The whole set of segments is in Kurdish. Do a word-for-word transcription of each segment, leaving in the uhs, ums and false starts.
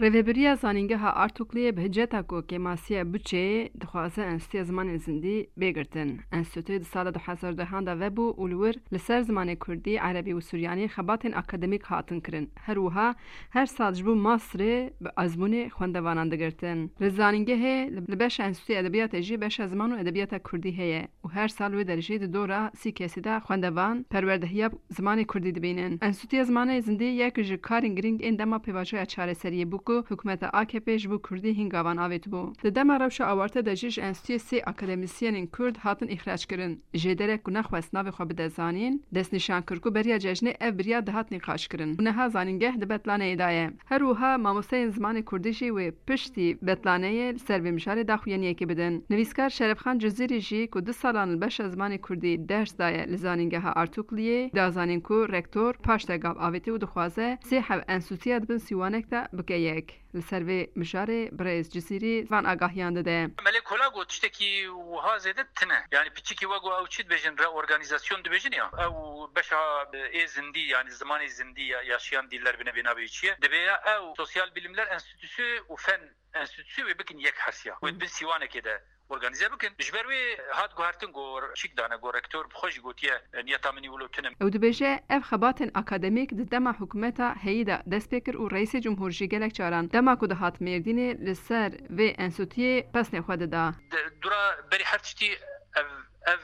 Rêvebiriya Zanîngeha Artukliyê bi hiceta ku kêmasiya buçeyê dixwaze Enstitûya Zimanên Zindî bê girtin. Enstitûyê di sala du hezar dehan de vebû û li wir li ser zimanê kurdî, erebî û suryanî xebatên akademîk hatin kirin. Her wiha her sal ji bo masterê bi ezmûnê xwendevanan digirtin. Li zanîngehê li beşa Enstitûya Edebiyatê jî beşa ziman û edebiyata kurdî heye û her sal wê derê jî di dora sî kesî de xwendevan perwerdehiya zimanê kurdî dibînin. Enstitûya Zimanê Zindî yek ji karên girîng ên dema pêvajoya çareseriyê bû ku hikûmeta A K P ji bo kurdî hîn gavan avêtibû. Di dema rewşa awarte de jî ji enstitûyê sê akademîsyenên kurd hatin îxrac kirin. Jêderek ku nexwest navê xwe bide zanîn, destnîşan kir ku beriya cejnê ev biryar dihat nîqaşkirin û niha zanîngeh di betlaneyê de ye. Her wiha mamosteyên zimanê kurdî jî wê piştî betlaneyê li ser vê mijarê daxuyaniyekê bidin. Nivîskar Şerefxan Cizîrî jî ku du salan li beşa zimanê kurdî ders daye li Zanîngeha Artukliyê, da zanîn ku rektor paş de gav avêtiye û dixwaze sê heb enstitûya di bin sîwanek de bike yek. Li ser vê mijarê birêz Cizîrî van agahiyan dide. Melê Kola got, tiştekî wiha zêde tine. Yani piçikî we got, ew çi dibêjin, reorganizasyon dibêjin ya. Ew beşa, e, ê zindî, yani zimanê zindî ya, yaşayan diller bine bênavê çi ye. Dibê ya ew sosyal bilimler enstitüsü û fen enstitüsü wê bikin yek hesiya. Wê di bin sîwanekê de organize bikin. Ji ber wê hat guhertin ku çîk dane ku rektor bi xwe jî gotiye, e, niyeta min î wilo tune. Ew dibêje, ev xebatên akademîk di dema hikûmeta heyî de dest pê kir û Reîsê Cumhur jî gelek caran dema ku dihat Mêrdînê li ser vê enstitûyê pesnê xwe dida. Di, dura berî her tiştî ev, ev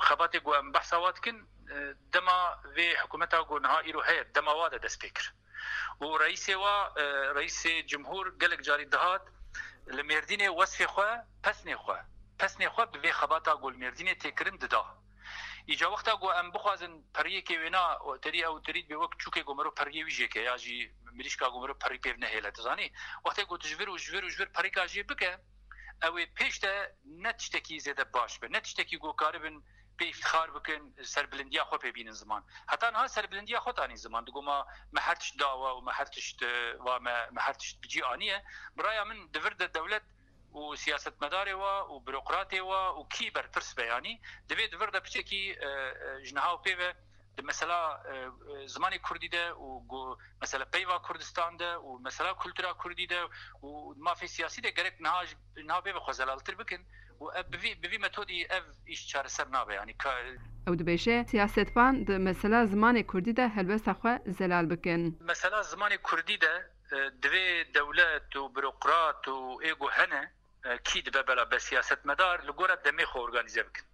xebatê ku em behsa wa dikin, e, dema vê hikûmeta ku niha îro heye, dema wa de dest pê kir. Û reîsê wa, e, reîsê cumhur gelek carî dihat li Mêrdînê wesfê xwe, pesnê xwe, pesnê xwe bi vê xebata ku li Mêrdînê tê kirin dida. Îca wexta ku em bixwazin periyekê wêna, terî ew terî dibe wek çûkê ku mero periyê wî jêke ya jî mirîşka ku mero perî pêv nehêle, tu zanî? Wextê ku tu ji vir û ji vir û ji vir perîka jê bike, ew ê pêş de ne tiştekî zêde baş be, ne tiştekî ku karibin pê îftixar bikin, serbilindiya xwe pê bînin ziman. Heta niha serbilindiya xwe tanî ziman. Digo ma me her tişt dawe û me her tişt, e, va me, me her tişt bi cî aniye. Bi raya min di vir de dewlet û siyasetmedarê wa û burokratê wa û kî berpirs be yanî, divê di vir de piçekî, e, e, ji niha û pê ve di mesela, e, e, zimanê kurdî de û gu-, mesela peyva Kurdistan de û mesela kultura kurdî de û mafê siyasî de gerek niha ji, niha pê ve xwe zelaltir bikin û ev bi vî, bi vî metodî ev îş çareser nabe. Yanî ka- Ew dibêje, siyasetvan di mesela zimanê kurdî de helwesta xwe zelal bikin. Mesela zimanê kurdî de, e, divê dewlet û burokrat û ê ku hene, e, kî dibe bela be siyasetmedar li gora demê xwe organîze bikin.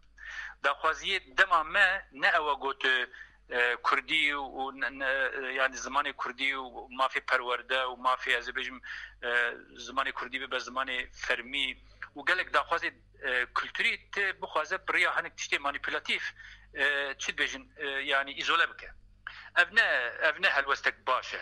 Daxwaziyê dema me ne ew e got, e, kurdî û ne, ne, e, yani zimanê kurdî û mafê perwerde û mafê, ez ê bêjim, e, zimanê kurdî bibe zimanê fermî û gelek daxwazê, e, kulturî tê bixwaze bi riya hinek tiştê manîpulatîf, e, çi dibêjin, e, yani îzole bike. Ev ne, ev ne helwestek baş e.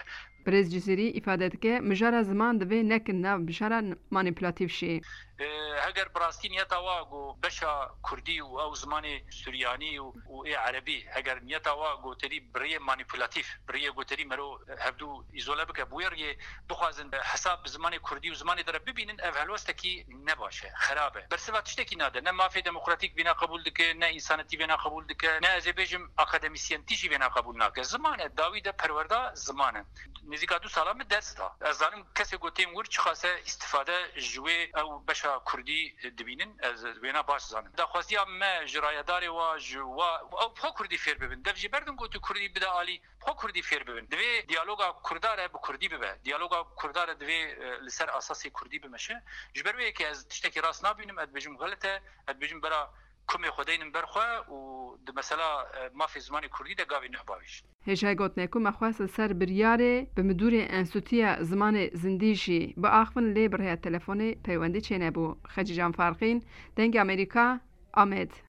Birêz Cizîrî îfade dike, mijara ziman divê nekin nav mijara manîpulatîf jî. E, heger bi rastî niyeta wa ku beşa kurdî û ew zimanê suryanî û, û ê erebî, heger niyeta wa goterî bi riyê manîpulatîf, bi riyê goterî mero hevdû îzole bike, bi wê riyê bixwazin, e, hesab bi zimanê kurdî û zimanê din re bibînin, ev helwestekî ne baş e, xerab e. Bersiva tiştekî nade. Ne mafê demokratîk vîna qebûl dike, ne însanetî vêna qebûl dike, ne ez ê bêjim akademîsyentî jî vêna qebûl nake. Ziman e, dawî de perwerda ziman e. Nêzîka du sala min ders da. Ez zanim kesê ku tên wir çiqase îstifade ji wê ew beşa kurdî dibînin, ez wêna baş zanim. Daxwaziya me ji rayedarê wa, ji wa, ew bi xwe kurdî fêr bibin. Dev jî berdin ku tu kurdî bide alî, xwe kurdî fêr bibin. Divê diyaloga kurdare bi kurdî bibe. Diyaloga kurdare divê, e, li ser asasê kurdî bimeşe. Ji ber wê yekê ez tiştekî rast nabînim, ez dibêjim xelet e, ez dibêjim bera kumê xwe deynin ber xwe û di mesela, e, mafê zimanê kurdî de gavê nuh bavêjin. Hêjayê gotinê ku me xwest li ser biryarê bi midûrê Enstîtuya Zimanê Zindî jî biaxivin lê bi rêya telefonê peywendî çênebû. Xecîcan Farqîn, Dengê Amerîka, Amed.